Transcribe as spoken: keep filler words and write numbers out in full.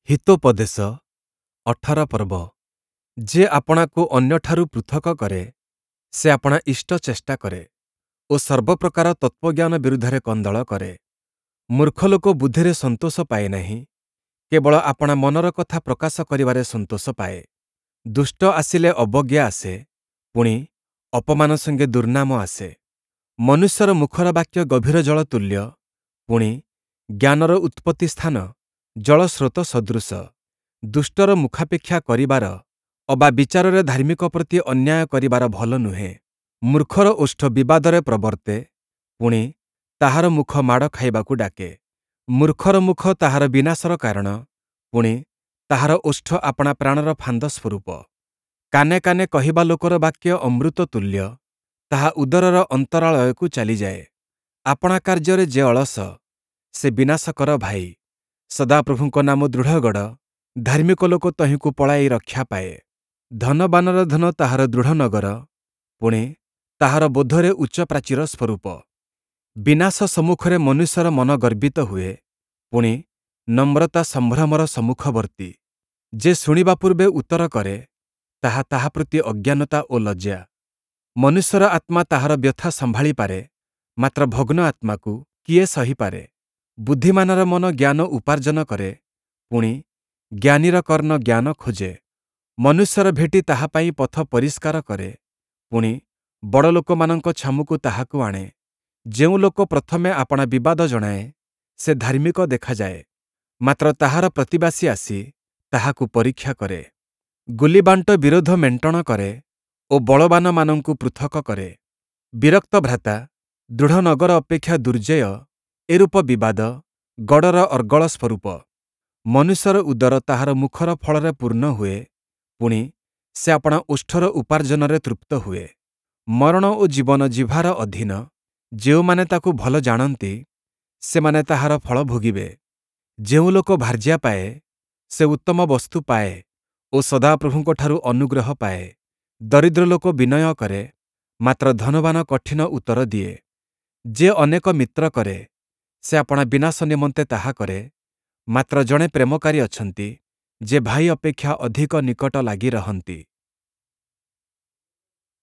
ହିତୋପଦେଶ ଅଠର ପର୍ବ। ଯେ ଆପଣାକୁ ଅନ୍ୟଠାରୁ ପୃଥକ କରେ, ସେ ଆପଣା ଇଷ୍ଟ ଚେଷ୍ଟା କରେ ଓ ସର୍ବପ୍ରକାର ତତ୍ତ୍ୱଜ୍ଞାନ ବିରୁଦ୍ଧରେ କନ୍ଦଳ କରେ। ମୂର୍ଖ ଲୋକ ବୁଦ୍ଧିରେ ସନ୍ତୋଷ ପାଏ ନାହିଁ, କେବଳ ଆପଣା ମନର କଥା ପ୍ରକାଶ କରିବାରେ ସନ୍ତୋଷ ପାଏ। ଦୁଷ୍ଟ ଆସିଲେ ଅବଜ୍ଞା ଆସେ, ପୁଣି ଅପମାନ ସଙ୍ଗେ ଦୁର୍ନାମ ଆସେ। ମନୁଷ୍ୟର ମୁଖର ବାକ୍ୟ ଗଭୀର ଜଳ ତୁଲ୍ୟ, ପୁଣି ଜ୍ଞାନର ଉତ୍ପତ୍ତି ସ୍ଥାନ ଜଳସ୍ରୋତ ସଦୃଶ। ଦୁଷ୍ଟର ମୁଖାପେକ୍ଷା କରିବାର ଅବା ବିଚାରରେ ଧାର୍ମିକ ପ୍ରତି ଅନ୍ୟାୟ କରିବାର ଭଲ ନୁହେଁ। ମୂର୍ଖର ଓଷ୍ଠ ବିବାଦରେ ପ୍ରବର୍ତ୍ତେ, ପୁଣି ତାହାର ମୁଖ ମାଡ଼ ଖାଇବାକୁ ଡାକେ। ମୂର୍ଖର ମୁଖ ତାହାର ବିନାଶର କାରଣ, ପୁଣି ତାହାର ଓଷ୍ଠ ଆପଣା ପ୍ରାଣର ଫାନ୍ଦ ସ୍ୱରୂପ। କାନେ କାନେ କହିବା ଲୋକର ବାକ୍ୟ ଅମୃତ ତୁଲ୍ୟ, ତାହା ଉଦରର ଅନ୍ତରାଳୟକୁ ଚାଲିଯାଏ। ଆପଣା କାର୍ଯ୍ୟରେ ଯେ ଅଳସ, ସେ ବିନାଶକର ଭାଇ। ସଦାପ୍ରଭୁଙ୍କ ନାମ ଦୃଢ଼ଗଡ଼, ଧାର୍ମିକ ଲୋକ ତହିଁକୁ ପଳାଇ ରକ୍ଷା ପାଏ। ଧନବାନର ଧନ ତାହାର ଦୃଢ଼ ନଗର, ପୁଣି ତାହାର ବୋଧରେ ଉଚ୍ଚ ପ୍ରାଚୀର ସ୍ୱରୂପ। ବିନାଶ ସମ୍ମୁଖରେ ମନୁଷ୍ୟର ମନ ଗର୍ବିତ ହୁଏ, ପୁଣି ନମ୍ରତା ସମ୍ଭ୍ରମର ସମ୍ମୁଖବର୍ତ୍ତୀ। ଯେ ଶୁଣିବା ପୂର୍ବେ ଉତ୍ତର କରେ, ତାହା ତାହା ପ୍ରତି ଅଜ୍ଞାନତା ଓ ଲଜ୍ଜା। ମନୁଷ୍ୟର ଆତ୍ମା ତାହାର ବ୍ୟଥା ସମ୍ଭାଳି ପାରେ, ମାତ୍ର ଭଗ୍ନ ଆତ୍ମାକୁ କିଏ ସହିପାରେ? ବୁଦ୍ଧିମାନର ମନ ଜ୍ଞାନ ଉପାର୍ଜନ କରେ, ପୁଣି ଜ୍ଞାନୀର କର୍ଣ୍ଣ ଜ୍ଞାନ ଖୋଜେ। ମନୁଷ୍ୟର ଭେଟି ତାହା ପାଇଁ ପଥ ପରିଷ୍କାର କରେ, ପୁଣି ବଡ଼ଲୋକମାନଙ୍କ ଛାମୁକୁ ତାହାକୁ ଆଣେ। ଯେଉଁ ଲୋକ ପ୍ରଥମେ ଆପଣା ବିବାଦ ଜଣାଏ, ସେ ଧାର୍ମିକ ଦେଖାଯାଏ, ମାତ୍ର ତାହାର ପ୍ରତିବାସୀ ଆସି ତାହାକୁ ପରୀକ୍ଷା କରେ। ଗୁଲିବାଣ୍ଟ ବିରୋଧ ମେଣ୍ଟଣ କରେ ଓ ବଳବାନମାନଙ୍କୁ ପୃଥକ କରେ। ବିରକ୍ତ ଭ୍ରାତା ଦୃଢ଼ ନଗର ଅପେକ୍ଷା ଦୁର୍ଜେୟ, ଏରୂପ ବିବାଦ ଗଡ଼ର ଅର୍ଗଳ ସ୍ୱରୂପ। ମନୁଷ୍ୟର ଉଦର ତାହାର ମୁଖର ଫଳରେ ପୂର୍ଣ୍ଣ ହୁଏ, ପୁଣି ସେ ଆପଣା ଓଷ୍ଠର ଉପାର୍ଜନରେ ତୃପ୍ତ ହୁଏ। ମରଣ ଓ ଜୀବନ ଜିହ୍ବାର ଅଧୀନ, ଯେଉଁମାନେ ତାକୁ ଭଲ ଜାଣନ୍ତି, ସେମାନେ ତାହାର ଫଳ ଭୋଗିବେ। ଯେଉଁ ଲୋକ ଭାର୍ଯ୍ୟା ପାଏ, ସେ ଉତ୍ତମ ବସ୍ତୁ ପାଏ ଓ ସଦାପ୍ରଭୁଙ୍କଠାରୁ ଅନୁଗ୍ରହ ପାଏ। ଦରିଦ୍ର ଲୋକ ବିନୟ କରେ, ମାତ୍ର ଧନବାନ କଠିନ ଉତ୍ତର ଦିଏ। ଯେ ଅନେକ ମିତ୍ର କରେ, ସେ ଆପଣା ବିନାଶ ନିମନ୍ତେ ତାହା କରେ, ମାତ୍ର ଜଣେ ପ୍ରେମକାରୀ ଅଛନ୍ତି, ଯେ ଭାଇ ଅପେକ୍ଷା ଅଧିକ ନିକଟ ଲାଗି ରହନ୍ତି।